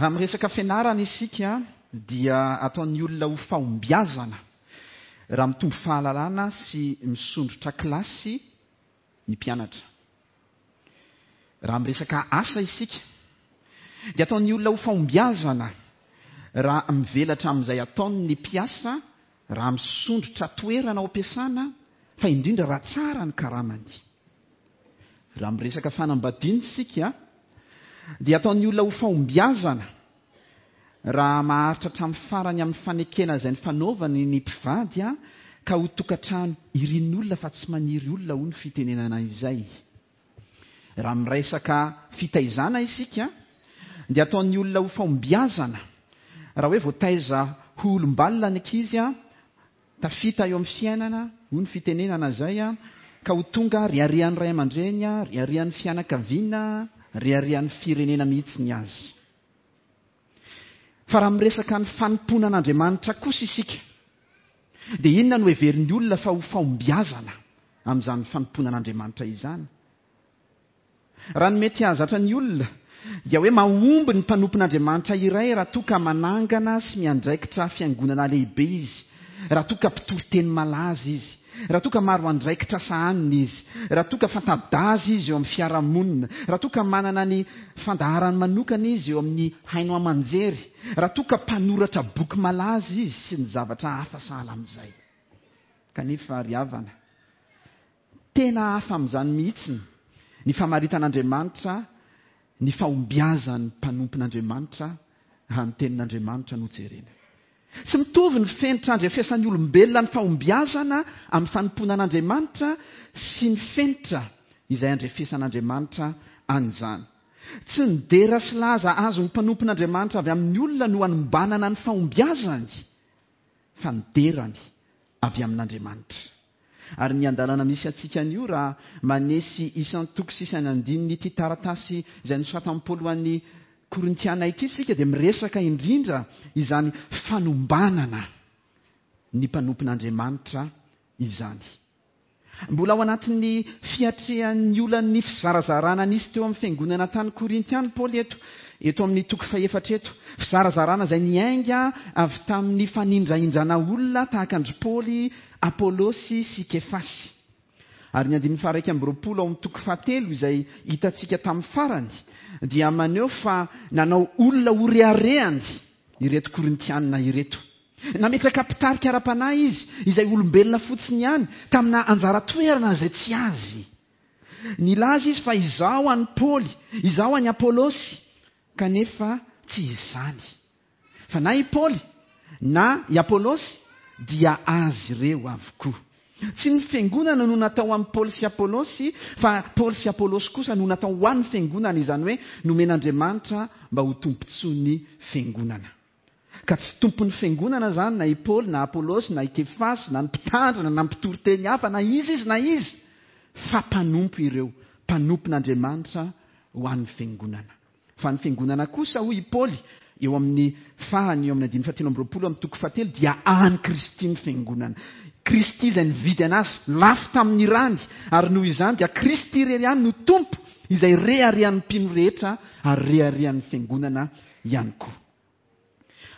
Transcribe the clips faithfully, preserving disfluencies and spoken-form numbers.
Raha miresaka fianarana isika dia ataon'ny olona ho fahombiazana raha mitombo fahalalana sy misondrotra kilasy ny mpianatra. Raha miresaka asa isika dia ataon'ny olona ho fahombiazana raha mivelatra amin'izay ataony ny mpiasa, raha misondrotra toerana ao am-piasana, fa indrindra raha tsara ny karamany. Raha miresaka fanambadiana isika dia ataon'ny olona ho fahombiazana raha maharitra hatramin'ny farany amin'ny fanekena izay nifanaovany ny mpivady ka ho tokantrano irin'olona fa tsy maniry olona, hoy ny fitenenana izay. Raha miresaka fitaizana isika dia ataon'ny olona ho fahombiazana raha hoe voataiza ho olom-balona ny ankizy, tafita eo amin'ny fiainana, hoy ny fitenenana izay, ka ho tonga reharehan'ny ray aman-dreny, reharehan'ny fianakaviana, reharehan'ny firenena mihitsy ny azy. Fa raha miresaka ny fanompoana an'Andriamanitra kosa isika dia inona no heverin'ny olona fa ho fahombiazana amin'izany fanompoana an'Andriamanitra izany? Raha ny mety hahazatra ny olona dia hoe mahomby ny mpanompon'Andriamanitra iray raha toa ka manangana sy miandraikitra fiangonana lehibe izy, raha toa ka mpitory teny malaza izy, raha toa ka maro andraikitra sahaniny izy, raha toa ka fanta-daza izy eo amin'ny fiarahamonina, raha toa ka manana ny fandaharany manokana izy eo amin'ny haino aman-jery, raha toa ka mpanoratra boky malaza izy sy ny zavatra hafa sahala amin'izay. Kanefa ry havana, tena hafa amin'izany mihitsy ny famaritan'Andriamanitra ny fahombiazan'ny mpanompon'Andriamanitra raha ny tenin'Andriamanitra no jerena. Tsy mitovy ny fenitra andrefesan'ny olombelona ny fahombiazana amin'ny fanompoana an'Andriamanitra sy ny fenitra izay andrefesan'Andriamanitra an'izany. Tsy ny dera sy laza azon'ny mpanompon'Andriamanitra avy amin'ny olona no anombanana ny fahombiazany, fa ny derany avy amin'Andriamanitra. Ary ny andalana misy antsika anio raha manesy isan-toko sy isan'andininy ity taratasy izay nosoratan'i Paoly ho an'ny Korintiana ity isika dia miresaka indrindra izany fanombanana ny mpanompon'Andriamanitra izany. Mbola ao anatin'ny fiatrehan'ny olan'ny fizarazarana nisy teo amin'ny fiangonana tany Korinty ihany Paoly eto, eto amin'ny toko fahefatra eto. Fizarazarana izay niainga avy tamin'ny fanindrahindrana olona tahaka an-dry Paoly, Apôlôsy sy Kefasy. Ary ny andininy faha-iraika amby roapolo ao amin'ny toko fahatelo izay hitantsika tamin'ny farany dia maneho fa nanao olona ho reharehany ireto Korintianina ireto. Nametraka mpitarika ara-panahy izy izay olombelona fotsiny ihany tamina anjara toerana izay tsy azy. Nilaza izy fa izaho an'i Paoly, izaho an'i Apôlôsy, kanefa tsy izany. Fa na i Paoly na i Apôlôsy dia azy ireo avokoa. Tsy ny fiangonana no natao amin'i Paoly sy Apôlôsy, fa Paoly sy Apôlôsy kosa no natao ho an'ny fiangonana, izany hoe nomen'Andriamanitra mba ho tombontsoan'ny fiangonana. Ka tsy tompon'ny fiangonana izany na i Paoly na Apôlôsy na i Kefasy na ny mpitandrina na ny mpitory teny hafa na iza izy na iza, fa mpanompo ireo, mpanompon'Andriamanitra ho an'ny fiangonana. Fa ny fiangonana kosa, hoy i Paoly eo amin'ny fahany eo amin'ny andininy fahatelo amby roapolo amin'ny toko fahatelo, dia an'i Kristy ny fiangonana. Kristy izay nividy anazy lafo tamin'ny rany, ary noho izany dia Kristy irery ihany no Tompo izay reharehan'ny mpino rehetra ary reharehan'ny fiangonana ihany koa.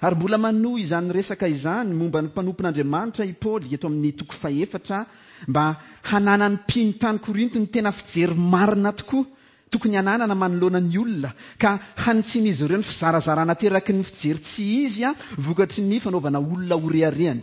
Ary mbola manohy izany resaka izany momba ny mpanompon'Andriamanitra i Paoly eto amin'ny toko fahefatra mba hananan'ny mpino tany Korinto ny tena fijery marina tokoa tokony hananana manoloana ny olona, ka hanitsian'izy ireo ny fizarazarana ateraky ny fijery tsy izy vokatry ny fanaovana olona ho reharehany.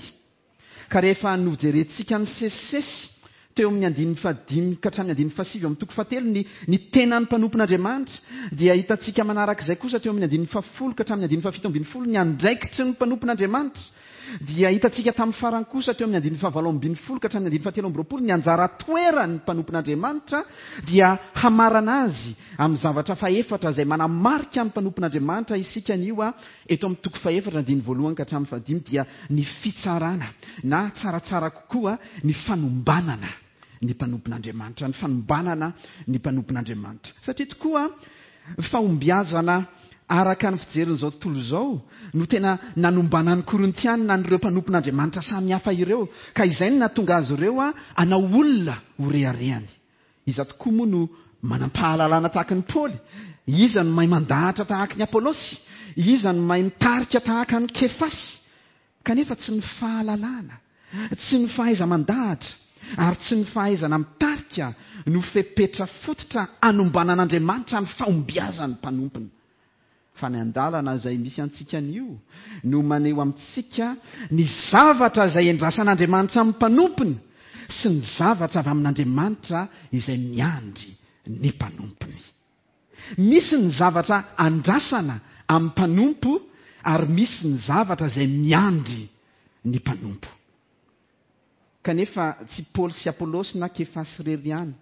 Ka rehefa nojerentsika ny sesisesy teo amin'ny andininy fahadimy ka hatramin'ny andininy fahasivy eo amin'ny toko fahatelo ny, ny tenan'ny mpanompon'Andriamanitra, dia hitantsika manarak'izay kosa teo amin'ny andininy fahafolo ka hatramin'ny andininy fahafito ambin'ny folo ny andraikitry ny mpanompon'Andriamanitra. Dia hitantsika tamin'ny farany kosa teo amin'ny andininy fahavalo ambin'ny folo ka hatramin'ny andininy fahatelo amby roapolo ny anjara toeran'ny mpanompon'Andriamanitra, dia hamarana azy amin'ny zavatra fahefatra izay manamarika ny mpanompon'Andriamanitra isika anio a, eto amin'ny toko fahefatra andininy voalohany ka hatramin'ny fahadimy, dia ny fitsarana na tsaratsara kokoa ny fanombanana ny mpanompon'Andriamanitra, ny fanombanana ny mpanompon'Andriamanitra. Satria tokoa fahombiazana araka ny fijerin'izao tontolo izao no tena nanombanan'ny Korintianina an'ireo mpanompon'Andriamanitra samihafa ireo, ka izay no nahatonga azy ireo hanao olona ho reharehany. Iza tokoa moa no manam-pahalalana tahaka ny Paoly? Iza no mahay mandahatra tahaka ny Apôlôsy? Iza no mahay mitarika tahaka an'i Kefasy? Kanefa tsy ny fahalalana, tsy ny fahaiza-mandahatra, ary tsy ny fahaizana mitarika no fepetra fototra anombanan'Andriamanitra ny fahombiazan'ny mpanompony. Fa ny andalana izay misy antsika anio no maneho amintsika ny zavatra izay endrasan'Andriamanitra amin'ny mpanompony sy ny zavatra avy amin'Andriamanitra izay miandry ny mpanompony. Misy ny zavatra andrasana amin'ny mpanompo ary misy ny zavatra izay miandry ny mpanompo. Kanefa tsy Paoly sy Apôlôsy na Kefasy irery ihany,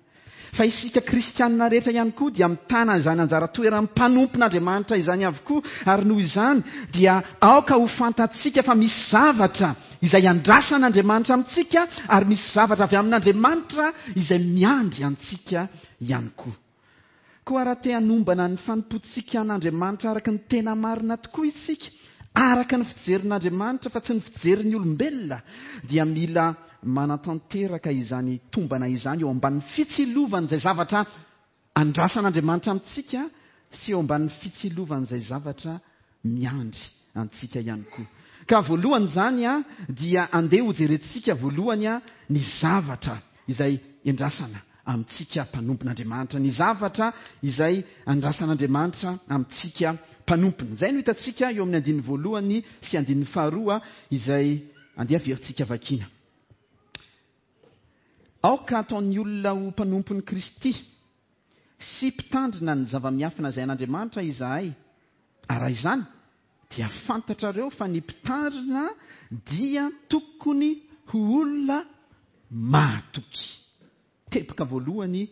fa isika kristianina rehetra ihany koa dia mitana izany anjara toeran'ny mpanompon'Andriamanitra izany avokoa, ary noho izany dia aoka ho fantatsika fa misy zavatra izay andrasan'Andriamanitra amintsika ary misy zavatra avy amin'Andriamanitra izay miandry antsika ihany koa. Koa raha te hanombana ny fanompoantsika an'Andriamanitra araka ny tena marina tokoa isika, araka ny fijerin'Andriamanitra fa tsy ny fijerin'ny olombelona, dia mila manatanteraka izany tombana izany eo ambanin'ny fitsilovan'izay zavatra andrasan'Andriamanitra amintsika sy eo ambanin'ny fitsilovan'izay zavatra miandry antsika ihany koa. Ka voalohany izany a, dia andeha hojerentsika voalohany a, ny zavatra izay endrasana amintsika mpanompon'Andriamanitra, ny zavatra izay andrasan'Andriamanitra amintsika mpanompony. Izay no hitantsika eo amin'ny andininy voalohany sy andininy faharoa izay andeha averintsika vakiana. Aoka ataon'ny olona ho mpanompon'i Kristy sy mpitandrina ny zava-miafina izay an'Andriamanitra izahay. Ary raha izany dia fantatrareo fa ny mpitandrina dia tokony ho olona mahatoky. Teboka voalohany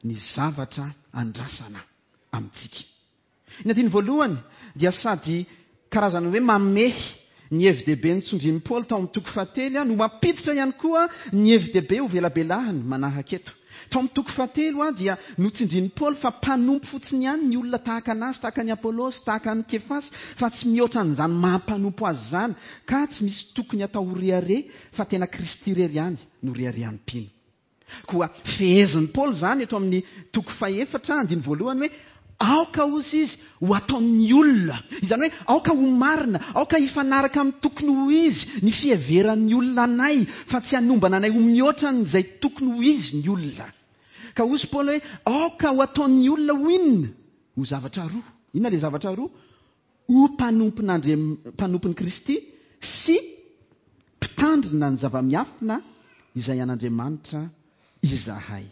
ny zavatra andrasana amintsika. Ny andininy voalohany dia sady karazana hoe mamehy ny hevi-dehibe nitsondrin'i Paoly tao amin'ny toko fahatelo no mampiditra ihany koa ny hevi-dehibe ho velabelahany manaraka eto. Tao amin'ny toko fahatelo dia notsindrin'i Paoly fa mpanompo fotsiny ihany ny olona tahaka anazy, tahaka an'i Apôlôsy, tahaka an'i Kefasy, fa tsy mihoatra an'izany maha-mpanompo azy izany, ka tsy misy tokony atao ho rehareha fa tena Kristy irery ihany no reharehan'ny mpino. Koa fehezin'i Paoly izany eto amin'ny toko fahefatra andininy voalohany hoe aoka hozy izy ho ataon'ny olona. Izany hoe aoka ho marina, aoka hifanaraka amin'ny tokony ho izy ny fiheveran'ny olona anay, fa tsy hanombana anay ho mihoatra an'izay tokony ho izy ny olona. Ka hozy Paoly hoe aoka ho ataon'ny olona ho inona? Ho zavatra roa. Inona ilay zavatra roa? Ho mpanompon'Andriam-, mpanompon'i Kristy sy mpitandrina ny zava-miafina izay an'Andriamanitra izahay.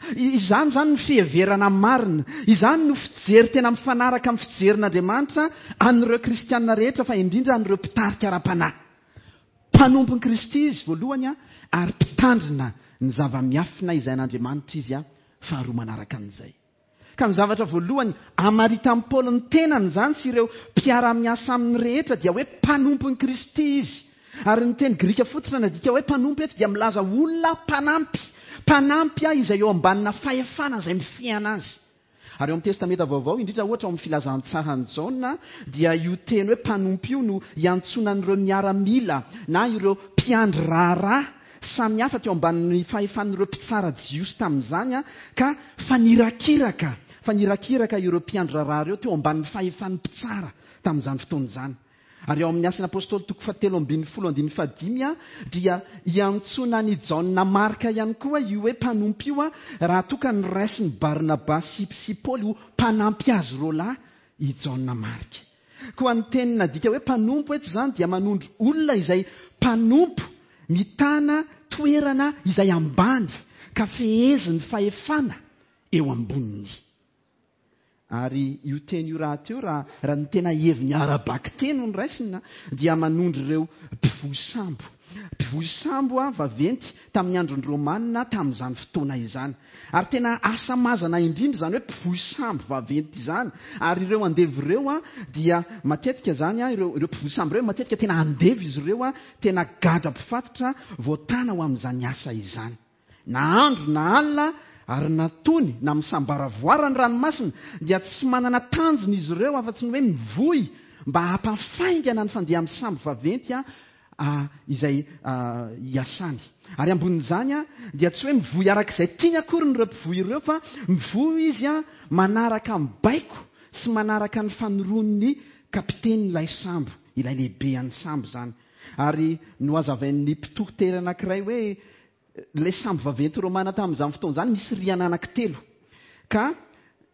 Izany izany ny fiheverana marina, izany no fijery tena mifanaraka amin'ny fijerin'Andriamanitra an'ireo kristianina rehetra, fa indrindra an'ireo mpitarika ara-panahy. Mpanompon'i Kristy izy voalohany a, ary mpitandrina ny zava-miafina izay an'Andriamanitra izy a, faharoa manaraka an'izay. Ka ny zavatra voalohany amaritan'i Paoly ny tenany izany sy ireo mpiara-miasa aminy rehetra dia hoe mpanompon'i Kristy izy. Ary ny teny grika fototra nadika hoe mpanompo eto dia milaza olona mpanampy. Mpanampy ahy izay eo ambanina fahefana izay mifehy azy. Ary eo amin'ny Testamenta Vaovao, indrindra ohatra ao amin'ny filazantsaran'i Jaona, dia io teny hoe mpanompo io no iantsoana an'ireo miaramila na ireo mpiandry raharaha samihafa teo ambanin'ny fahefan'ireo mpitsara jiosy tamin'izany, ka fanirakiraka, fanirakiraka ireo mpiandry raharaha ireo teo ambanin'ny fahefan'ny mpitsara tamin'izany fotoana izany. Ary ao amin'ny Asan'ny Apôstôly toko fahatelo ambin'ny folo andininy fahadimy a, dia iantsoana an'i Jaona Marka ihany koa io hoe mpanompo io a, raha toa ka noraisin'i Barnabasy sy Paoly ho mpanampy azy roa lahy i Jaona Marka. Koa ny teny nadika hoe mpanompo eto izany dia manondro olona izay mpanompo mitana toerana izay ambany ka fehezin'ny fahefana eo amboniny. Ary io teny io rahateo, raha, raha ny tena heviny ara-bakiteny no raisina, dia manondro ireo mpivoy sambo. Mpivoy sambo a, vaventy tamin'ny andron'ny Romanina tamin'izany fotoana izany. Ary tena asa mazana indrindra izany hoe mpivoy sambo vaventy izany. Ary ireo andevo ireo a, dia matetika izany a, ireo, ireo mpivoy sambo ireo matetika tena andevo izy ireo a, tena gadra mpifatotra voatana ho amin'izany asa izany. Na andro na alina ary na tony na misambaravoara ny ranomasina dia tsy manana tanjona izy ireo afa-tsy ny hoe mivoy mba hampafaingana ny fandeha amin'ny sambo vaventy a, a, izay, a, iasany. Ary ambonin'izany a, dia tsy hoe mivoy arak'izay tiany akory ireo mpivoy ireo, fa mivoy izy a, manaraka ny baiko sy manaraka ny fanoroan'ny Kapiteny ilay sambo, ilay lehibe an'ny sambo izany. Ary nohazavain'ny mpitoriteny anankiray hoe ilay sambo vaventy romana tamin'izany fotoana izany misy rihana anankitelo. Ka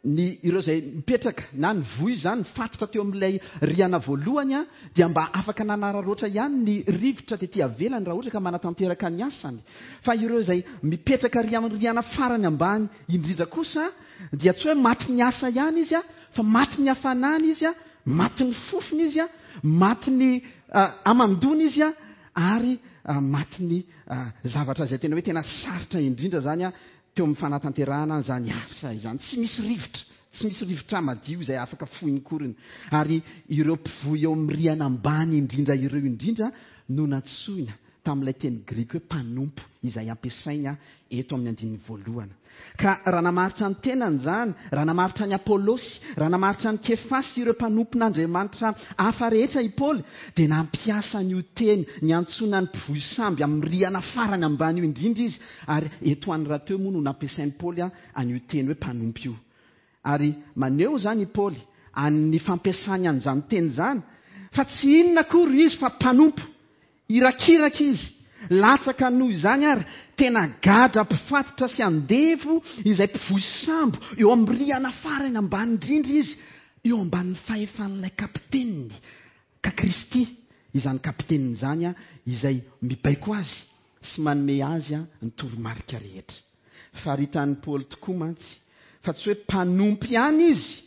ny ireo izay mipetraka na ny voy izany nifatotra teo amin'ilay rihana voalohany a, dia mba afaka nanararaotra ihany ny rivotra tety avelany raha ohatra ka manatanteraka ny asany. Fa ireo izay mipetraka ry amin'ny rihana farany ambany indrindra kosa dia tsy hoe maty ny asa ihany izy a, fa maty ny hafanana izy a, maty ny fofona izy a, maty ny hamandoana izy a, ary maty ny zavatra izay tena hoe tena sarotra indrindra izany a teo amin'ny fanatanterahana izany asa izany. Tsy misy rivotra, tsy misy rivotra madio izay afaka fohiny koriny. Ary ireo mpivoy eo amin'ny rihana ambany indrindra ireo indrindra no nantsoina tamin'ilay teny grika hoe mpanompo izay ampiasaina eto amin'ny andininy voalohany. Ka raha namaritra ny tenany izany, raha namaritra ny Apôlôsy, raha namaritra ny Kefasy ireo mpanompon'Andriamanitra hafa rehetra i Paoly, dia nampiasa an'io teny niantsoana ny mpivoy samby amin'ny rihana farany ambany io indrindra izy. Ary eto any rahateo moa no nampiasain'i Paoly an'io teny hoe mpanompo io. Ary maneho izany i Paoly an'ny fampiasany an'izany teny izany fa tsy inona akory izy fa mpanompo. Irakiraka izy, latsaka noho izany ary tena gadra mpifatotra sy andevo izay mpivoy sambo eo amin'ny rihana farany ambany indrindra izy, eo ambanin'ny fahefan'ilay kapiteniny. Ka Kristy izany kapiteniny izany a, izay mibaiko azy sy manome azy a ny toromarika rehetra. Faritan'i Paoly tokoa mantsy fa tsy hoe mpanompo ihany izy,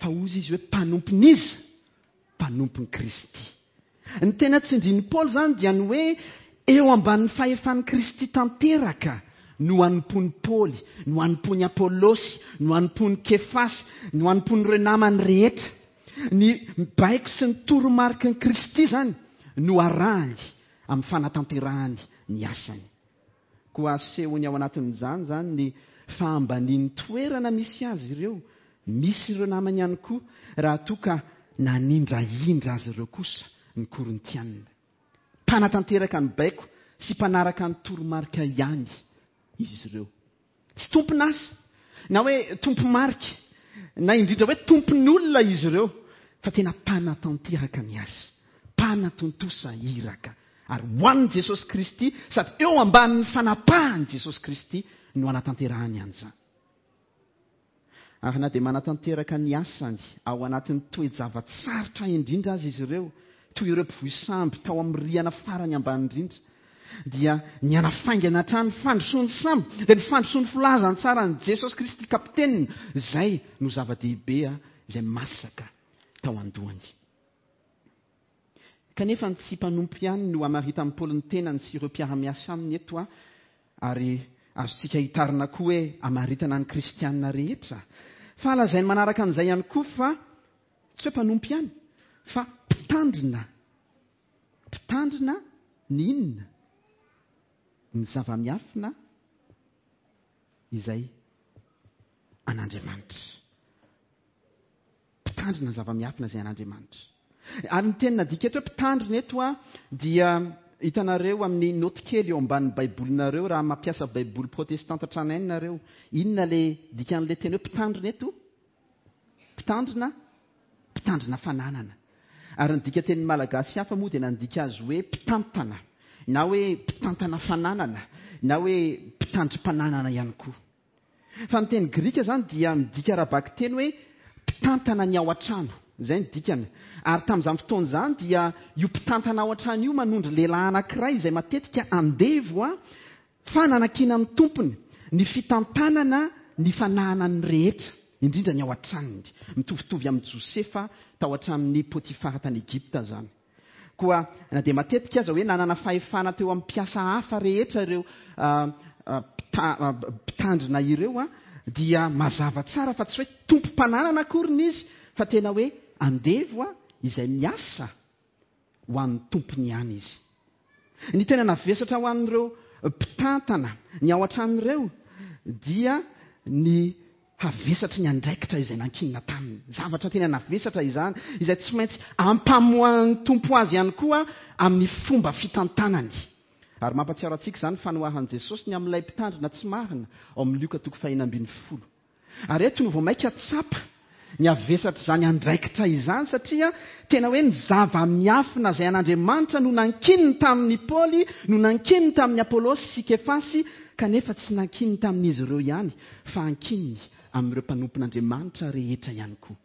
fa hozy izy hoe mpanompon'iza? Mpanompon'i Kristy. Ny tena tsindrin'i Paoly izany dia ny hoe eo ambanin'ny fahefan'i Kristy tanteraka no anompoan'i Paoly, no anompoan'i Apôlôsy, no anompoan'i Kefasy, no anompoan'ireo namany rehetra. Ny baiko sy ny toromariky ny Kristy izany no arahany amin'ny fanatanterahany ny asany. Koa asehony ao anatin'izany izany ny fahambanian'ny toerana misy azy ireo, misy ireo namany ihany koa, raha toa ka nanindrahindra azy ireo kosa ny Korintianina. Mpanatanteraka ny baiko sy mpanaraka ny toromarika ihany izy ireo. Tsy tompon'asa, na hoe tompo-marika, na indrindra hoe tompon'olona izy ireo, fa tena mpanatanteraka ny asa, mpanatontosa iraka. Ary ho an'i Jesosy Kristy, sady eo ambanin'ny fanapahan'i Jesosy Kristy no anatanterahany an'izany. Ary na dia manatanteraka ny asany ao anatin'ny toe-java-tsarotra indrindra aza izy ireo, toy ireo mpivoy sambo tao amin'ny rihana farany ambany indrindra, dia ny anafaingana hatrany fandrosoan'ny sambo, dia ny fandrosoan'ny filazantsaran'i Jesosy Kristy kapiteniny, izay no zava-dehibe izay masaka tao an-dohany. Kanefa ny tsy mpanompo ihany no hamaritan'i Paoly ny tenany sy ireo mpiara-miasa aminy eto, ary azontsika hitarina koa hoe hamaritana ny kristianina rehetra. Fa lazainy manaraka an'izay ihany koa fa tsy hoe mpanompo ihany, fa mpitandrina. Mpitandrina ny inona? Ny zava-miafina izay an'Andriamanitra. Mpitandrina ny zava-miafina izay an'Andriamanitra. Ary ny teny nadika eto hoe mpitandrina eto a, dia hitanareo amin'ny noty kely eo ambanin'ny baibolinareo raha mampiasa baiboly protestanta tranainy nareo. Inona le dikan'ilay teny hoe mpitandrina eto? Mpitandrina, mpitandrina fananana. Ary ny dika teny malagasy hafa moa dia nandika azy hoe mpitantana, na hoe mpitantana fananana, na hoe mpitandrim-pananana ihany koa. Fa ny teny grika izany dia midika ara-bakiteny hoe mpitantana ny ao an-trano. Izay ny dikany. Ary tamin'izany fotoana izany dia io mpitantana ao an-trano io manondro lehilahy anankiray izay matetika andevo a, fa nanakiana amin'ny tompony ny fitantanana ny fananany rehetra, indrindra ny ao an-tranony. Mitovitovy amin'i Josefa tao an-tranon'i Potifara tany Egypta izany. Koa na dia matetika aza hoe nanana fahefana teo amin'ny mpiasa hafa rehetra ireo mpitandrina ireo a, dia mazava tsara fa tsy hoe tompom-pananana akory ny izy, fa tena hoe andevo a, izay miasa ho an'ny tompony ihany izy. Ny tena navesatra ho an'ireo mpitantana ny ao an-trano ireo dia ny havesatry ny andraikitra izay nankinina taminy. Zavatra tena navesatra izany, izay tsy maintsy ampamoahan'ny tompo azy ihany koa amin'ny fomba fitantanany. Ary mampatsiaro antsika izany fanoharan'i Jesosy ny amin'ilay mpitandrina tsy marina ao amin'ny Lioka toko fahenina ambin'ny folo. Ary eto no vao mainka tsapa ny havesatr'izany andraikitra izany, satria tena hoe ny zava-miafina izay an'Andriamanitra no nankininy tamin'ny Paoly, no nankininy tamin'ny Apôlôsy sy Kefasy, kanefa tsy nankininy tamin'izy ireo ihany, fa ankininy amin'ireo mpanompon'Andriamanitra rehetra ihany koa.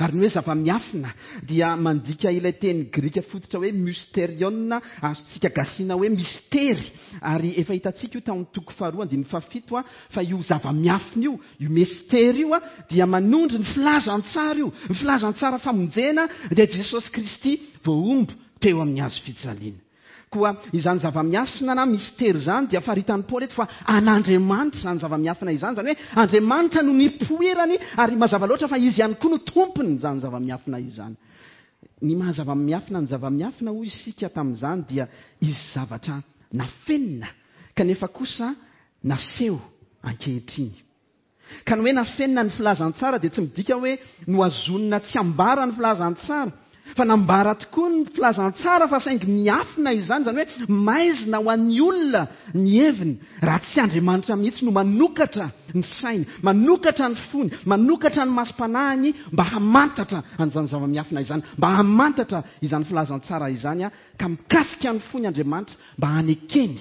Ary ny hoe zava-miafina dia mandika ilay teny grika fototra hoe mysterion, azontsika gasina hoe mistery. Ary efa hitantsika io tao amin'ny toko faharoa andininy fahafito a, fa io zava-miafina io, io mistery io a, dia manondro ny filazantsara io. Ny filazantsara famonjena dia Jesosy Kristy voahombo teo amin'ny hazo fijaliana. Koa izany zava-miafina na mistery izany dia faritan'i Paoly eto fa an'Andriamanitra izany zava-miafina izany, izany hoe Andriamanitra no nipoirany, ary mazava loatra fa izy ihany koa no tompony izany zava-miafina izany. Ny maha zava-miafina ny zava-miafina hoy isika tamin'izany dia izy zavatra nafenina kanefa kosa naseho ankehitriny. Ka ny hoe nafenina ny filazantsara dia tsy midika hoe nohazonina tsy ambara ny filazantsara, fa nambara tokoa ny filazantsara fa saingy miafina izany, izany hoe maizina ho an'ny olona ny heviny, raha tsy Andriamanitra mihitsy no manokatra ny sainy, manokatra ny fony, manokatra ny masom-panahiny mba hamantatra an'izany zava-miafina izany, mba hamantatra izany filazantsara izany, ka mikasika ny fony Andriamanitra mba hanekeny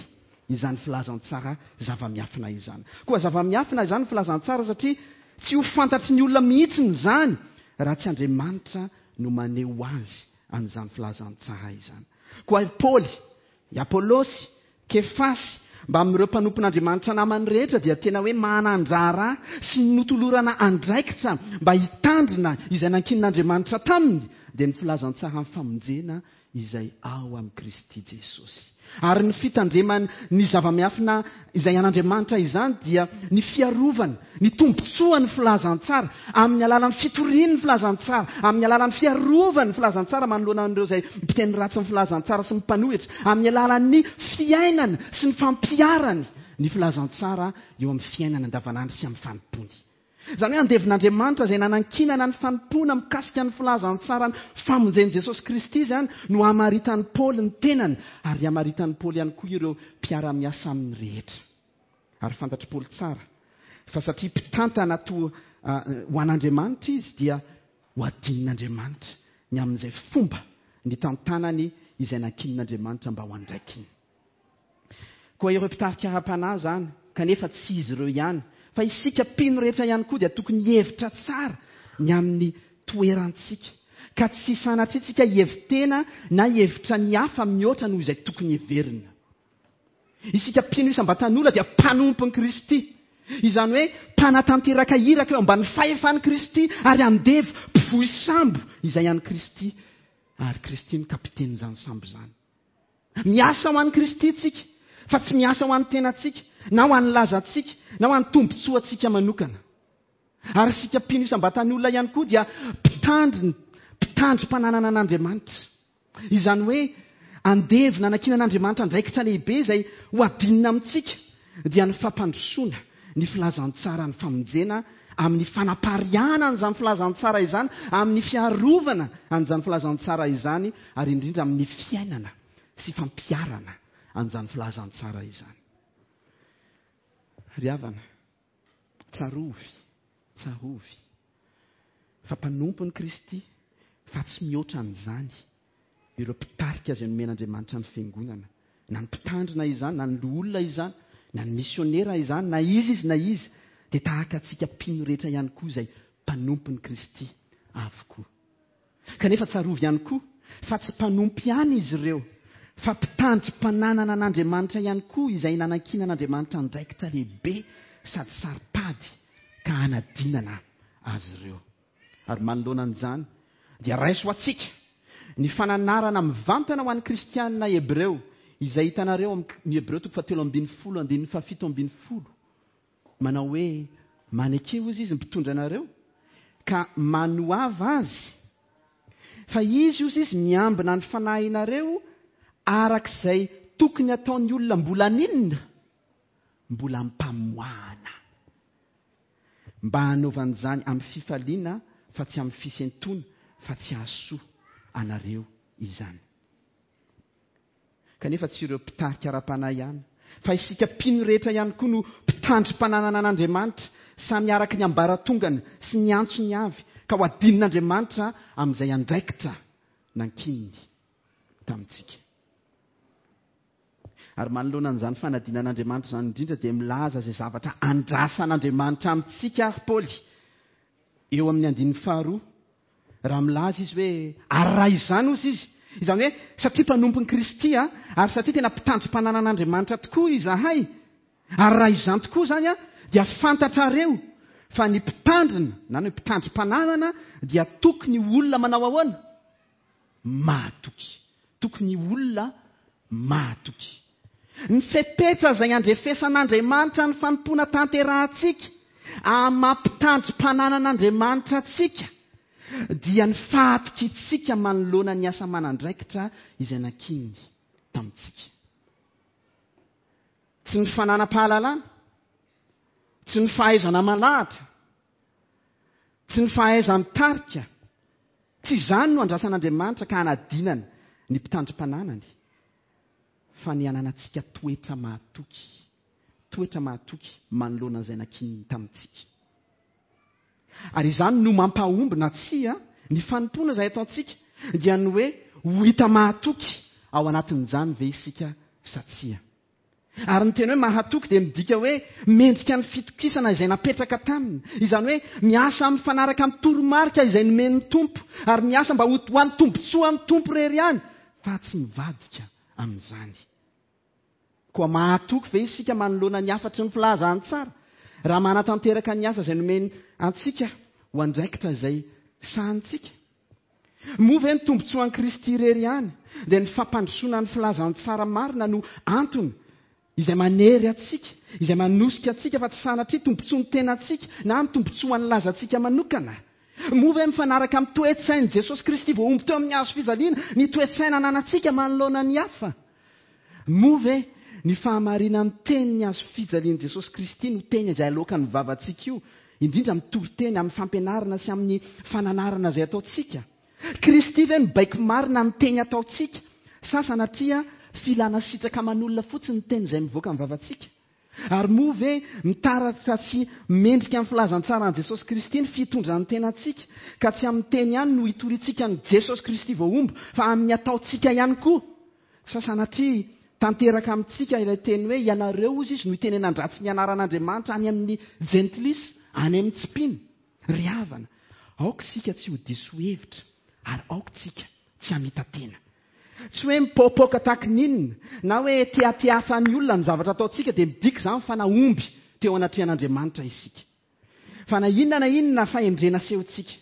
izany filazantsara zava-miafina izany. Koa zava-miafina izany filazantsara satria tsy ho fantatry ny olona mihitsy izany raha tsy Andriamanitra no maneho azy an'izany filazantsara izany. Koa i Paoly, i Apôlôsy, Kefasy, mba amin'ireo mpanompon'Andriamanitra namany rehetra dia tena hoe manan-draharaha sy notolorana andraikitra mba hitandrina izay nankinin'Andriamanitra taminy, dia ny filazantsara famonjena izay ao amin'i Kristy Jesosy. Ary ny fitandremany ny zava-miafina izay an'Andriamanitra izany dia ny fiarovana, ny tombontsoan'ny filazantsara amin'ny alalan'ny fitorian'ny filazantsara, amin'ny alalan'ny fiarovana ny filazantsara manoloana an'ireo izay mpiteny ratsy ny filazantsara sy mpanohitra, amin'ny alalan'ny fiainana sy ny fampiharany ny filazantsara eo amin'ny fiainana andavanandro sy amin'ny fanompoany. Izany hoe andevin'Andriamanitra izay nanankinana ny fanompoana mikasika ny filazantsara ny famonjen'i Jesosy Kristy izany no hamaritan'i Paoly ny tenany, ary hamaritan'i Paoly ihany koa ireo mpiara-miasa aminy rehetra. Ary fantatr'i Paoly tsara fa satria mpitantana toa ho an'Andriamanitra izy dia ho adinin'Andriamanitra ny amin'izay fomba nitantanany izay nankinin'Andriamanitra mba ho andraikiny. Koa ireo mpitarika ara-panahy izany, kanefa tsy izy ireo ihany, fa isika mpino rehetra ihany koa dia tokony hihevitra tsara ny amin'ny toerantsika, ka tsy sanatria tsika hihevitena na hihevitra ny hafa mihoatra noho izay tokony heverina. Isika mpino isam-batan'olona dia mpanompon'i Kristy, izany hoe mpanatanteraka iraka eo ambanin'ny fahefan'i Kristy, ary andevo mpivoy sambo izay an'i Kristy, ary Kristy no kapitenin'izany sambo izany. Miasa ho an'i Kristy tsika, fa tsy miasa ho an'ny tenantsika, na ho an'ny lazantsika, na ho an'ny tombontsoantsika manokana. Ary isika mpino isam-batan'olona ihany koa dia mpitandrina, mpitandrim-pananana an'Andriamanitra. Izany hoe andevo nanankinan'Andriamanitra andraikitra lehibe izay ho adinina amintsika, dia ny fampandrosoana ny filazantsara ny famonjena amin'ny fanapariahana an'izany filazantsara izany, amin'ny fiarovana an'izany filazantsara izany, ary indrindra amin'ny fiainana sy fampiharana an'izany filazantsara izany. Ry havana, tsarovy, tsarovy fa mpanompon'i Kristy, fa tsy mihoatra an'izany ireo mpitarika izay nomen'Andriamanitra ny fiangonana, na ny mpitandrina izany, na ny loholona izany, na ny misionera izany, na izy izy na izy, dia tahaka antsika mpino rehetra ihany koa izay mpanompon'i Kristy avokoa. Kanefa tsarovy ihany koa fa tsy mpanompo ihany izy ireo, fa mpitandrim-pananana an'Andriamanitra ihany koa izay nanankinan'Andriamanitra andraikitra lehibe sady saro-pady ka hanadinana azy ireo. Ary manoloana an'izany dia raiso ho antsika ny fananarana mivantana ho an'ny kristianina hebreo izay hitanareo amin'ny Hebreo toko fahatelo ambin'ny folo andininy fahafito ambin'ny folo, manao hoe maneke hozy izy mpitondra anareo ka manoava azy, fa izy hozy izy miambina ny fanahinareo arak'izay tokony ataon'ny olona mbola ninona, mbola mpamoahana, mba hanaovan'izany amin'ny fifaliana fa tsy amin'ny fisentoana, fa tsy hahasoa anareo izany. Kanefa tsy ireo mpitarika ara-panahy ihany, fa isika mpino rehetra ihany koa no mpitandrim-pananana an'Andriamanitra, samy araka ny ambaratongany sy ny antsony avy, Ka ho adinin'Andriamanitra amin'izay andraikitra nankininy tamintsika. Ary manoloana an'izany fanadinan'Andriamanitra izany indrindra dia milaza izay zavatra andrasan'Andriamanitra amintsika ary Paoly eo amin'ny andininy faharoa. Raha milaza izy hoe ary raha izany ozy izy, izany hoe satria mpanompon'i Kristy a, ary satria tena mpitandrim-pananan'Andriamanitra tokoa izahay, ary raha izany tokoa izany a, dia fantatrareo fa ny mpitandrina na ny mpitandrim-pananana dia tokony olona manao ahoana? Mahatoky. Tokony olona mahatoky. Ny fepetra izay andrefesan'Andriamanitra ny fanompoana tanterahantsika amin'ny maha mpitandrim-pananan'Andriamanitra antsika dia ny fahatokiantsika manoloana ny asa manandraikitra izay nankininy tamintsika. Tsy ny fananam-pahalalana, tsy ny fahaizana malahatra, tsy ny fahaiza-mitarika, tsy izany no andrasan'Andriamanitra ka hanadinana ny mpitandrim-pananany, fa ny hananantsika toetra mahatoky, toetra mahatoky manoloana izay nankininy tamintsika. Ary izany no mampahomby na tsia ny fanompoana izay ataontsika, dia ny hoe ho hita mahatoky ao anatin'izany ve isika sa tsia. Ary ny teny hoe mahatoky dia midika hoe mendrika ny fitokisana izay napetraka taminy. Izany hoe miasa mifanaraka amin'ny toromarika izay nomen'ny Tompo, ary miasa mba ho an'ny tombontsoan'ny Tompo irery ihany, fa tsy mivadika amin'izany. Koa mahatoky ve isika manoloana ny hafatry ny filazantsara raha manatanteraka ny asa izay nomeny antsika ho andraikitra izay sahanintsika? Moa ve ny tombontsoan'i Kristy irery ihany dia ny fampandrosoana ny filazantsara marina no antony izay manery antsika, izay manosika antsika, fa tsy sanatria tombontsoan'ny tenantsika na ny tombontsoan'ny lazantsika manokana? Moa ve mifanaraka amin'ny toe-tsain'i Jesosy Kristy voahombo teo amin'ny hazo fijaliana ny toe-tsaina ananantsika manoloana ny hafa? Moa ve ny fahamarinan'ny tenin'ny hazo fijalian'i Jesosy Kristy no teny izay aloakan'ny vavantsika io, indrindra amin'ny toriteny, amin'ny fampianarana sy amin'ny fananarana izay ataontsika? Kristy ve no baiko marina ny teny ataontsika, sa sanatria filana sitraka aman'olona fotsiny ny teny izay mivoaka amin'ny vavantsika? Ary moa ve mitaratra sy mendrika amin'ny filazantsaran'i Jesosy Kristy ny fitondran'ny tenantsika, ka tsy amin'ny teny ihany no hitoriantsika an'i Jesosy Kristy voahombo, fa amin'ny ataontsika ihany koa? Sa sanatria tanteraka amintsika ilay teny hoe ianareo ozy izy no hitenenan-dratsy ny anaran'Andriamanitra any amin'ny jentilisa, any amin'ny tsy mpino? Ry havana, aoka isika tsy ho diso hevitra, ary aoka isika tsy hamita-tena. Tsy hoe mipoapoaka tahaka ny inona, na hoe tiatiafan'ny olona ny zavatra ataontsika dia midika izany fa nahomby teo anatrehan'Andriamanitra isika. Fa na inona na inona fahendrena asehontsika,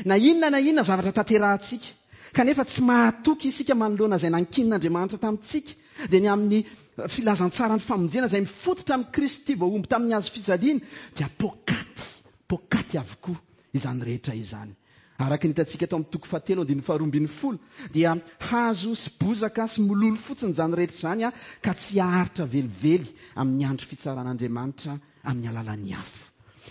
na inona na inona zavatra tanterahantsika, kanefa tsy mahatoky isika manoloana izay nankinin'Andriamanitra tamintsika, dia ny amin'ny filazantsaran'ny famonjena izay mifototra amin'i Kristy voahombo tamin'ny hazo fijaliana, dia poakaty, poakaty avokoa izany rehetra izany. Araka ny hitantsika tao amin'ny toko fahatelo andininy faharoa ambin'ny folo, dia hazo sy bozaka sy mololo fotsiny izany rehetra izany, ka tsy haharitra velively amin'ny andro fitsaran'Andriamanitra amin'ny alalan'ny afo.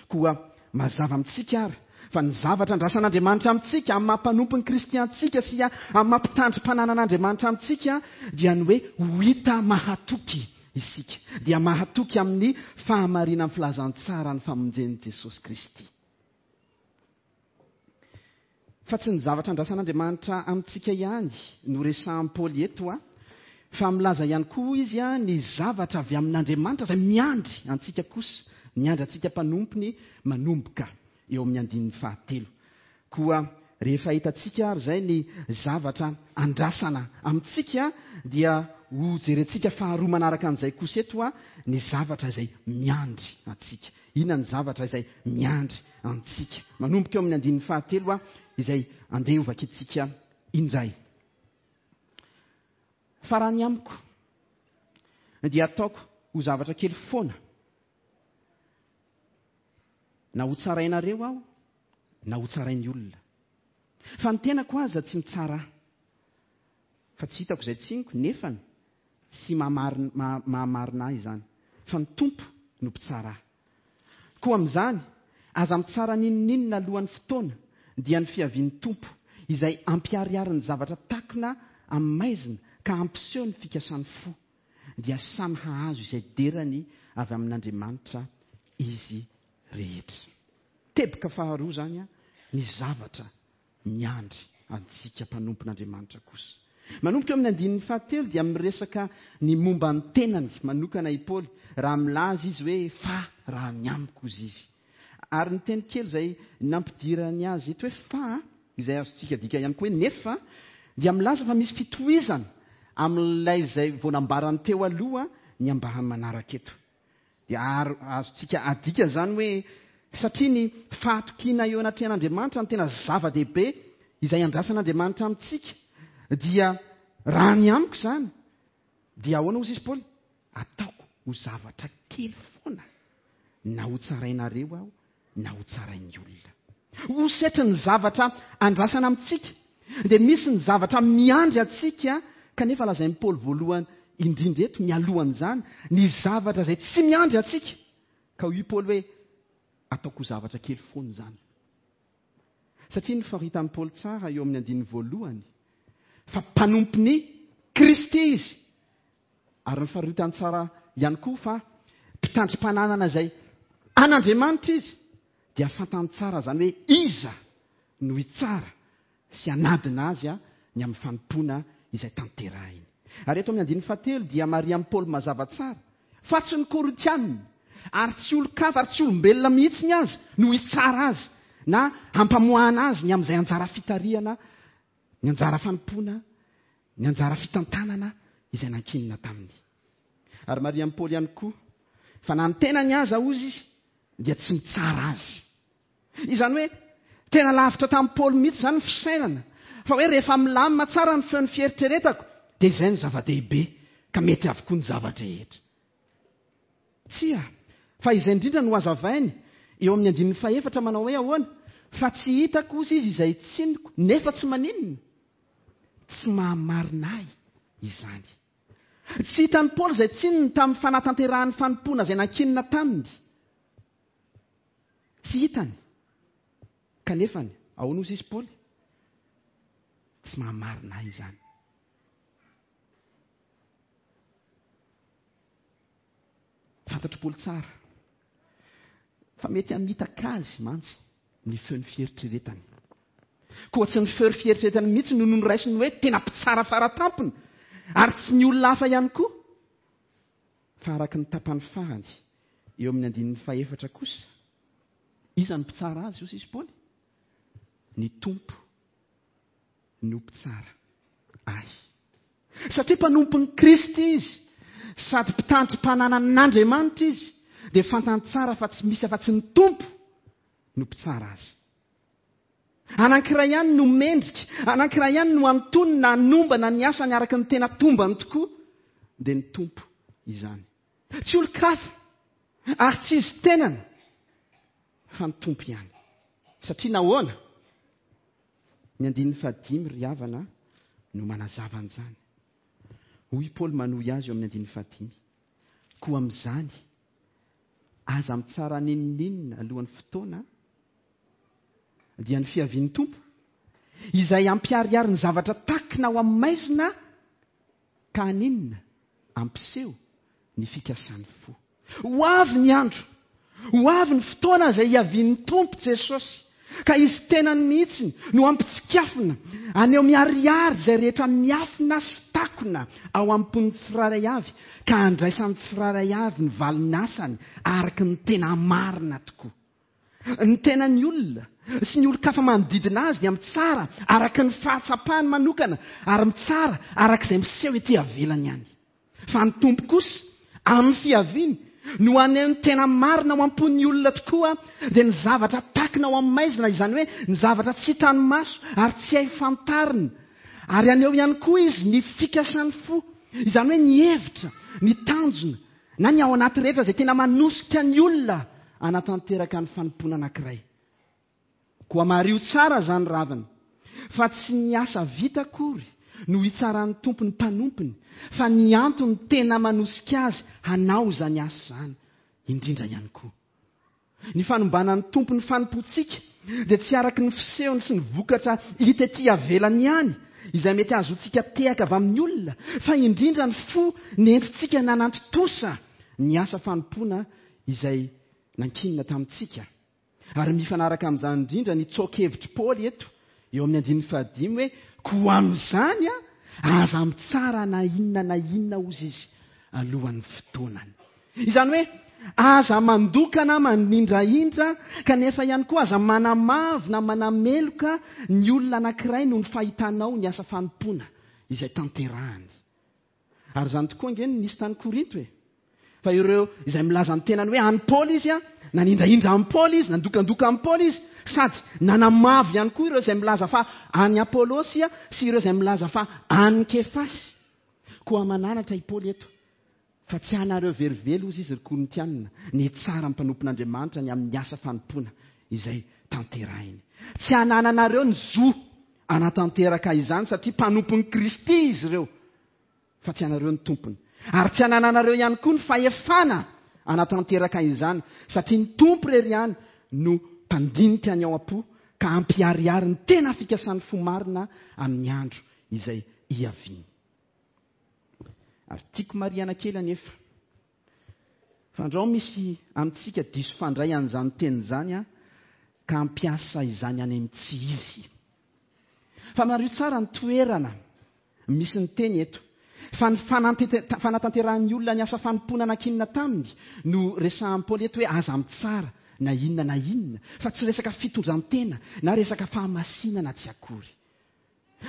Koa mazava amintsika ary fa ny zavatra andrasan'Andriamanitra amintsika amin'ny maha mpanompon'i Kristy antsika sy amin'ny maha mpitandrim-pananan'Andriamanitra amintsika dia ny hoe ho hita mahatoky isika, dia mahatoky amin'ny fahamarinan'ny filazantsaran'ny famonjen'i Jesosy Kristy. Fa tsy ny zavatra andrasan'Andriamanitra amintsika ihany no resahan'i Paoly eto, fa milaza ihany koa izy ny zavatra avy amin'Andriamanitra izay miandry antsika kosa, miandry antsika mpanompony manomboka eo amin'ny andininy fahatelo. Koa rehefa hitantsika ary izay ny zavatra andrasana amintsika, dia ho jerentsika faharoa manaraka an'izay kosa eto ny zavatra izay miandry antsika. Inona ny zavatra izay miandry antsika? Manomboka eo amin'ny andininy fahatelo izay andeha ho vakintsika indray. Fa raha ny amiko dia ataoko ho zavatra kely foana, na ho tsarainareo aho na ho tsarain'ny olona. Fa ny tenako aza tsy mitsara ahy, fa tsy hitako izay tsiniko, nefany tsy mahamarina ahy izany, fa ny Tompo no mpitsara ahy. Koa amin'izany, aza mitsara n'inon'inona alohan'ny fotoana, dia ny fiavian'ny Tompo, izay ampiharihary ny zavatra takona amin'ny maizina ka hampiseho ny fikasan'ny fo, dia samy hahazo izay derany avy amin'Andriamanitra izy rehetra. Teboka faharoa izany ny zavatra miandry antsika mpanompon'Andriamanitra kosa. Manomboka eo amin'ny andininy fahatelo dia miresaka ny momba ny tenany manokana i Paoly raha milaza izy hoe fa raha ny amiko izy izy. Ary ny teny kely izay nampidirany azy eto hoe fa, izay azontsika dika ihany koa hoe nefa, dia milaza fa misy fitohizana amin'ilay izay vao nambarany teo aloha ny ambahany manaraka eto. Dia azontsika adika izany hoe satria ny fahatokiana eo anatrehan'Andriamanitra no tena zava-dehibe izay andrasan'Andriamanitra amintsika, dia raha ny amiko izany dia ahoana hozy izy Paoly? Ataoko ho zavatra kely foana na ho tsarainareo aho na ho tsarain'ny olona. Ho setry ny zavatra andrasana amintsika dia misy ny zavatra miandry antsika, kanefa lazain'i Paoly voalohany indrindra eto mialohan'izany ny zavatra izay tsy miandry antsika. Ka hoy Paoly hoe ataoko ho zavatra kely foana izany. Satria ny faritan'i Paoly tsara eo amin'ny andininy voalohany fa mpanompon'i Kristy izy, ary ny faritany tsara ihany koa fa mpitandrim-pananana izay an'Andriamanitra izy, dia fantany tsara izany hoe iza no hitsara sy hanadina azy ny amin'ny fanompoana izay tanterahiny. Ary eto amin'ny andininy fahatelo dia marian'i Paoly mazava tsara fa tsy ny Korintianina ary tsy olon-kafa ary tsy olombelona mihitsy ny azy no hitsara azy na hampamoahana azy ny amin'izay anjara fitarihana, ny anjara fanompoana, ny anjara fitantanana izay nankinina taminy. Ary marian'i Paoly ihany koa fa na ny tenany aza hozy izy dia tsy mitsara azy. Izany hoe tena lavitra tamin'i Paoly mihitsy izany ny fisainana fa hoe rehefa milamina tsara ny feon'ny fieritreretako dia izay ny zava-dehibe ka mety avokoa ny zava-drehetra. Tsia, fa izay indrindra no hazavainy eo amin'ny andininy fahefatra manao hoe ahoana? Fa tsy hitako hozy izy izay tsiniko, nefa tsy maninona, tsy mahamarina ahy izany. Tsy hitan'i Paoly izay tsininy tamin'ny fanatanterahan'ny fanompoana izay nankinina taminy. Tsy hitany. Kanefa ahoana hozy izy Paoly? Tsy mahamarina ahy izany. Fantatry Paoly tsara fa mety hamitaka azy mantsy ny feon'ny fieritreretany. Koa tsy ny feon'ny fieritreretany mihitsy no noraisiny hoe tena mpitsara faratampony, ary tsy ny olona hafa ihany koa. Fa araka ny tapany farany eo amin'ny andininy fahefatra kosa, iza no mpitsara azy hozy izy Paoly? Ny Tompo no mpitsara ahy. Satria mpanompon'i Kristy izy sady mpitandrim-pananan'Andriamanitra izy, dia fantany tsara fa tsy misy afa-tsy ny Tompo no mpitsara azy. Anankiray ihany no mendrika, anankiray ihany no antonona hanombana ny asany araka ny tena tombany tokoa, dia ny Tompo izany. Tsy olon-kafa ary tsy izy tenany fa ny Tompo ihany. Satria nahoana? Ny andininy fahadimy ry havana no manazava an'izany. Hoy Paoly manohy azy eo amin'ny andininy fahadimy. Koa amin'izany, aza mitsara n'inon'inona alohan'ny fotoana, dia ny fiavian'ny Tompo, izay hampiharihary ny zavatra takina ao amin'ny maizina ka haninona? Hampiseho ny fikasan'ny fo. Ho avy ny andro, ho avy ny fotoana izay hiavian'ny Tompo Jesosy, ka izy tenany mihitsy no hampitsikafona, haneho miharihary izay rehetra miafina sy takona ao am-pon'ny tsirairay avy, ka handraisan'ny tsirairay avy ny valin'asany araka ny tena marina tokoa. Ny tenan'ny olona sy ny olon-kafa manodidina azy dia mitsara araka ny fahatsapany manokana ary mitsara araka izay miseho ety avelany ihany. Fa ny Tompo kosa amin'ny fiaviany no haneho ny tena marina ao am-pon'ny olona tokoa, dia ny zavatra takina ao amin'ny maizina, izany hoe ny zavatra tsy hitan'ny maso ary tsy hay fantarina. Ary haneho ihany koa izy ny fikasan'ny fo, izany hoe ny hevitra, ny tanjona na ny ao anaty rehetra izay tena manosika ny olona hanatanteraka ny fanompoana anankiray. Koa mariho tsara izany ravina, fa tsy ny asa vita akory no hitsaran'ny Tompo ny mpanompony, fa ny antony tena manosika azy hanao izany asa izany indrindra ihany koa. Ny fanombanan'ny Tompo ny fanompoantsika dia tsy araka ny fisehony sy ny vokatra hita ety avelany ihany, izay mety hahazoantsika tehaka avy amin'ny olona, fa indrindra ny fo nentintsika nanantontosa ny asa fanompoana izay nankinina tamintsika. Ary mifanaraka amin'izany indrindra ny tsoa-kevitr'i Paoly eto eo amin'ny andininy fahadimy hoe koa amin'izany a aza mitsara na inona na inona ozy izy alohan'ny fotoanany. Izany hoe aza mandoka na manindrahindra, kanefa ihany koa aza manamavo na manameloka ny olona anankiray noho ny fahitanao ny asa fanompoana izay tanterahany. Ary izany tokoa ange no nisy tany Korinto e. Fa ireo izay milaza ny tenany hoe an'i Paoly izy a, nanindrahindra an'i Paoly izy, nandokandoka an'i Paoly izy, sady nanamavo ihany koa ireo izay milaza fa an'i Apôlôsy a, sy ireo izay milaza fa an'i Kefasy. Koa mananatra i Paoly eto fa tsy anareo velively ozy izy ry Korintianina ny tsara mpanompon'Andriamanitra ny amin'ny asa fanompoana izay tanterahiny. Tsy anananareo ny zo anatanteraka izany satria mpanompon'i Kristy izy ireo, fa tsy anareo ny tompony. Ary tsy anananareo ihany koa ny fahefana anatanteraka izany satria ny Tompo irery ihany no mpandinika ny ao am-po ka hampiharihary ny tena fikasan'ny fo marina amin'ny andro izay hiaviany. Ary tiako marihana kely anefa fa andrao misy amintsika diso fandray an'izany teny izany a, ka hampiasa izany any amin'ny tsy izy. Fa mariho tsara ny toerana misy ny teny eto. Fa ny fanatanterahan'ny olona ny asa fanompoana nankinina taminy no resahan'i Paoly eto hoe aza mitsara na inona na inona, fa tsy resaka fitondran-tena na resaka fahamasinana tsy akory.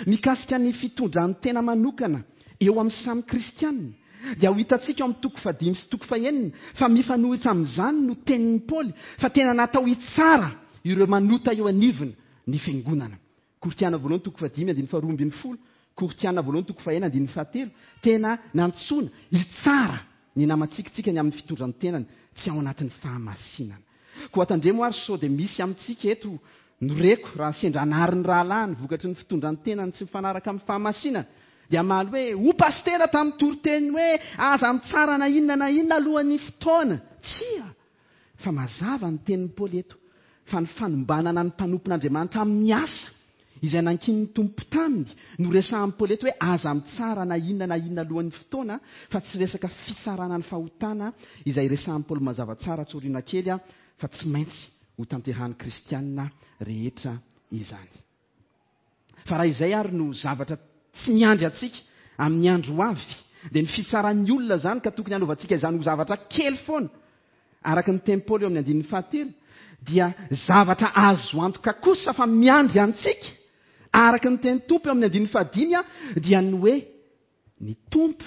Mikasika ny fitondran-tena manokana eo amin'ny samy kristianina dia ho hitantsika ao amin'ny toko fahadimy sy toko fahenina fa mifanohitra amin'izany no tenin'i Paoly, fa tena natao hitsara ireo manota eo anivony ny fiangonana. Korintiana voalohany toko fahadimy andininy faharoa ambin'ny folo, Korintiana voalohany toko fahenina andininy fahatelo, tena nantsoina hitsara ny namantsika ny amin'ny fitondran-tenany tsy ao anatin'ny fahamasinana. Koa tandremo ary sao dia misy amintsika eto no reko raha sendra anary ny rahalahiny vokatry ny fitondran-tenany tsy mifanaraka amin'ny fahamasinana, dia hamaly hoe ho pastera tamin'ny toriteny hoe aza mitsara na inona na inona alohan'ny fotoana. Tsia, fa mazava ny tenin'i Paoly eto fa ny fanombanana ny mpanompon'Andriamanitra amin'ny asa izay nankinin'ny Tompo taminy no resahan'i Paoly eto hoe aza mitsara na inona na inona alohan'ny fotoana, fa tsy resaka fitsarana ny fahotana izay resahan'i Paoly mazava tsara tsorina kely a, fa tsy maintsy ho tanterahan'ny kristianina rehetra izany. Fa raha izay ary no zavatra tsy miandry antsika amin'ny andro ho avy, dia ny fitsaran'ny olona izany ka tokony hanaovantsika izany ho zavatra kely foana, araka ny tenin'i Paoly eo amin'ny andininy fahatelo, dia zavatra azo antoka kosa fa miandry antsika, araka ny tenin'ny Tompo eo amin'ny andininy fahadimy a, dia ny hoe ny Tompo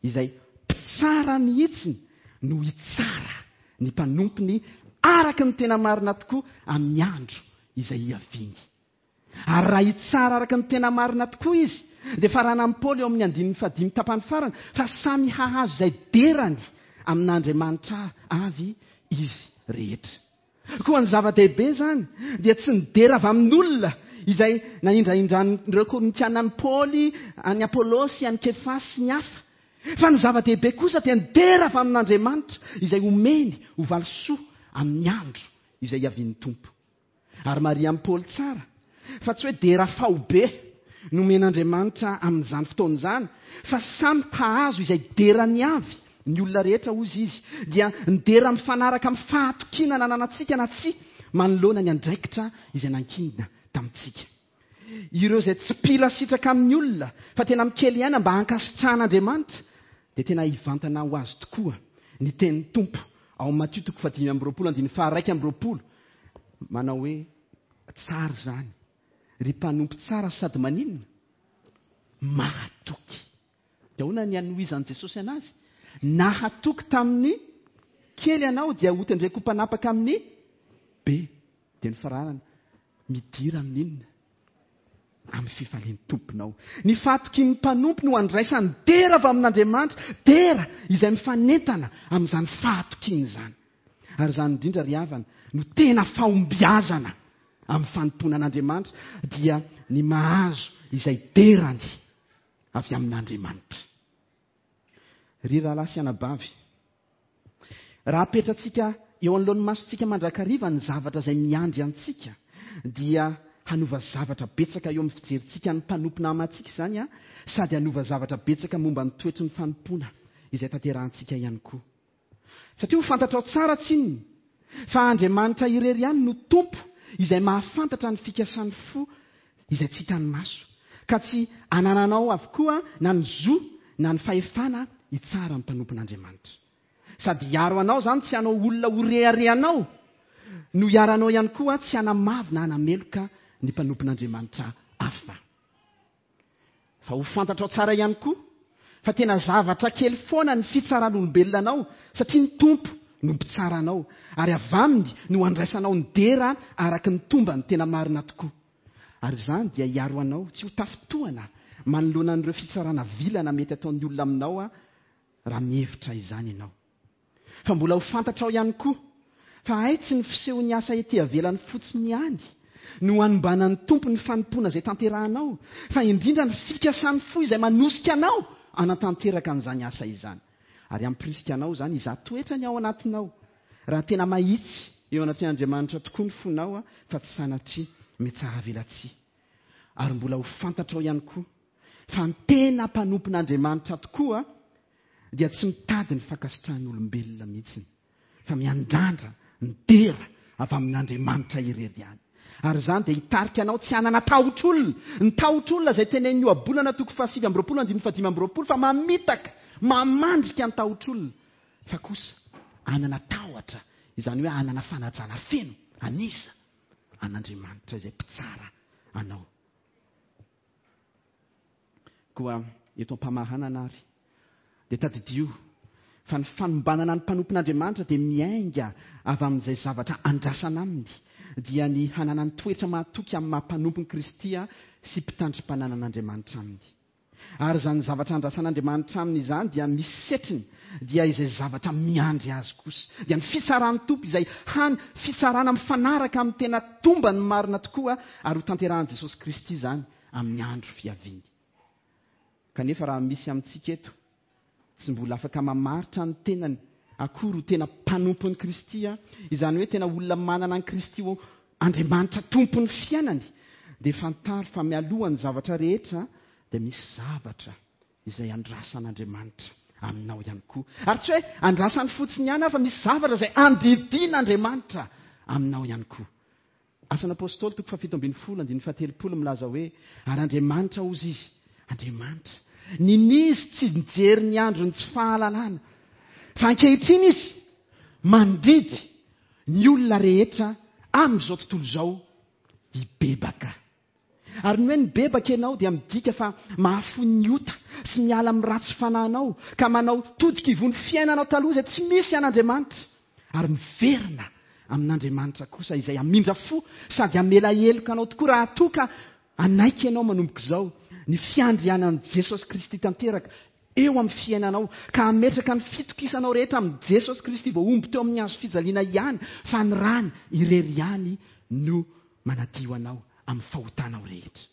izay mpitsara mihitsy no hitsara ny mpanompony araka ny tena marina tokoa amin'ny andro izay hiaviany. Ary raha hitsara araka ny tena marina tokoa izy, dia faranan'i Paoly eo amin'ny andininy fahadimy tapany farany fa samy hahazo izay derany amin'Andriamanitra avy izy rehetra. Koa ny zava-dehibe izany dia tsy ny dera avy amin'olona izay nanindrahindran'ireo Korintiana an'i Paoly, an'i Apôlôsy, an'i Kefasy sy ny hafa. Fa ny zava-dehibe kosa dia ny dera avy amin'Andriamanitra izay omeny ho valisoa amin'ny andro izay hiavian'ny Tompo. Ary marihan'i Paoly tsara fa tsy hoe dera faobe nomen'Andriamanitra amin'izany fotoana izany, fa samy hahazo izay derany avy ny olona rehetra ozy izy, dia ny dera mifanaraka amin'ny fahatokiana nananantsika na tsy manoloana ny andraikitra izay nankinina tamintsika. Ireo izay tsy mpila sitraka amin'ny olona fa tena mikely aina mba hankasitrahan'Andriamanitra dia tena hivantana ho azy tokoa ny tenin'ny Tompo ao Matio toko fahadimy amby roapolo andininy faharaika amby roapolo manao hoe tsara izany ry mpanompo tsara sady maninona mahatoky. Dia ahoana ny hanohizan'i Jesosy anazy? Nahatoky tamin'ny kely ianao dia hotendreko ho mpanapaka amin'ny be. Dia ny faranana midira amin'inona? Amin'ny fifalian'ny Tomponao. Ny fahatokian'ny mpanompo no andraisany dera avy amin'Andriamanitra, dera izay mifanentana amin'izany fahatokiana izany. Ary izany indrindra ry havana no tena fahombiazana amin'ny fanompoana an'Andriamanitra, dia ny mahazo izay derany avy amin'Andriamanitra. Ry rahalahy sy anabavy, raha apetratsika eo anoloan'ny masontsika mandrakariva ny zavatra izay miandry antsika, dia hanova zavatra betsaka eo amin'ny fijerintsika ny mpanompo namantsika izany a, sady hanova zavatra betsaka momba ny toetry ny fanompoana izay tanterahantsika ihany koa. Satria ho fantatrao tsara tsinona Fa Andriamanitra irery ihany no Tompo izay mahafantatra ny fikasan'ny fo izay tsy hitan'ny maso, ka tsy anananao avokoa na ny zo na ny fahefana hitsara ny mpanompon'Andriamanitra. Sady hiaro anao izany tsy hanao olona ho reharehanao, no hiaro anao ihany koa tsy hanamavo na hanameloka ny mpanompon'Andriamanitra hafa. Fa ho fantatrao tsara ihany koa fa tena zavatra kely foana ny fitsaran'olombelona anao, satria ny Tompo no mpitsara anao, ary avy aminy no andraisanao ny dera araka ny tombany tena marina tokoa. Ary izany dia hiaro anao tsy ho tafintohana manoloana an'ireo fitsarana vilana mety ataon'ny olona aminao raha mihevitra izany ianao. Fa mbola ho fantatrao ihany koa fa hay tsy ny fisehon'ny asa ety ivelany fotsiny ihany no hanombanan'ny Tompo ny fanompoana izay tanterahanao, fa indrindra ny fikasan'ny fo izay manosika anao hanatanteraka an'izany asa izany. Ary hampirisika anao izany hizaha toetra ny ao anatinao, raha tena mahitsy eo anatrehan'Andriamanitra tokoa ny fonao, fa tsy sanatria mitsaravelatsihy. Ary mbola ho fantatrao ihany koa fa ny tena mpanompon'Andriamanitra tokoa dia tsy mitady ny fankasitrahan'olombelona mihitsy, fa miandrandra ny dera avy amin'Andriamanitra irery ihany. Ary izany dia hitarika anao tsy hanana tahotr'olona. Ny tahotr'olona izay tenenin'ny Ohabolana toko fahasivy amby roapolo andininy fahadimy amby roapolo fa mamitaka, mamandrika ny tahotr'olona, fa kosa hanana tahotra, izany hoe hanana fanajana feno an'iza? An'Andriamanitra izay mpitsara anao. Koa eto am-pamaranana ary dia tadidio fa ny fanombanana ny mpanompon'Andriamanitra dia miainga avy amin'izay zavatra andrasana aminy, dia ny hananany toetra mahatoky amin'ny maha mpanompon'i Kristy sy mpitandrim-pananan'Andriamanitra aminy. Ary izany zavatra andrasan'Andriamanitra aminy izany dia misy setriny, dia izay zavatra miandry azy kosa. Dia ny fitsaran'ny Tompo izay hany fitsarana mifanaraka amin'ny tena tombany marina tokoa, ary ho tanterahan'i Jesosy Kristy izany amin'ny andro fiaviany. Kanefa raha misy amintsika eto tsy mbola afaka mamaritra ny tenany akory ho tena mpanompon'i Kristy, izany hoe tena olona manana an'i Kristy ho Andriamanitra tompon'ny fiainany, dia fantaro fa mialoha ny zavatra rehetra dia misy zavatra izay andrasan'Andriamanitra aminao ihany koa. Ary tsy hoe andrasany fotsiny ihany, fa misy zavatra izay andidian'Andriamanitra aminao ihany koa. Asan'ny Apôstôly toko fahafito ambin'ny folo andininy fahatelopolo milaza hoe ary Andriamanitra hozy izy, Andriamanitra ninizy tsy nijery ny androny tsy fahalalana, fa ankehitriny izy mandidy ny olona rehetra amin'izao tontolo izao hibebaka. Ary ny hoe nibebaka ianao dia midika fa mahafoy ny ota sy miala amin'ny ratsy fanahinao, ka manao todika ivon'ny fiainanao taloha izay tsy misy an'Andriamanitra, ary miverina amin'Andriamanitra kosa izay hamindra fo sady hamela heloka anao tokoa raha toa ka hanaiky ianao manomboka izao ny fiandrianan'i Jesosy Kristy tanteraka eo amin'ny fiainanao, ka hametraka ny fitokisanao rehetra amin'i Jesosy Kristy voahombo teo amin'ny hazo fijaliana ihany, fa ny rany irery ihany no manadio anao amin'ny fahotanao rehetra.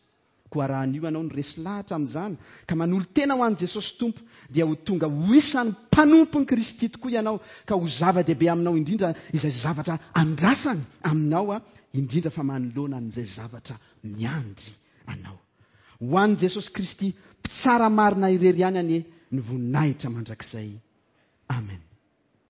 Koa raha anio ianao no resy lahatra amin'izany ka manolo-tena ho an'i Jesosy Tompo, dia ho tonga ho isan'ny mpanompon'i Kristy tokoa ianao, ka ho zava-dehibe aminao indrindra izay zavatra andrasany aminao, indrindra fa manoloana an'izay zavatra miandry anao. Ho an'i Jesosy Kristy mpitsara marina irery ihany anie ny voninahitra mandrakizay. Amen.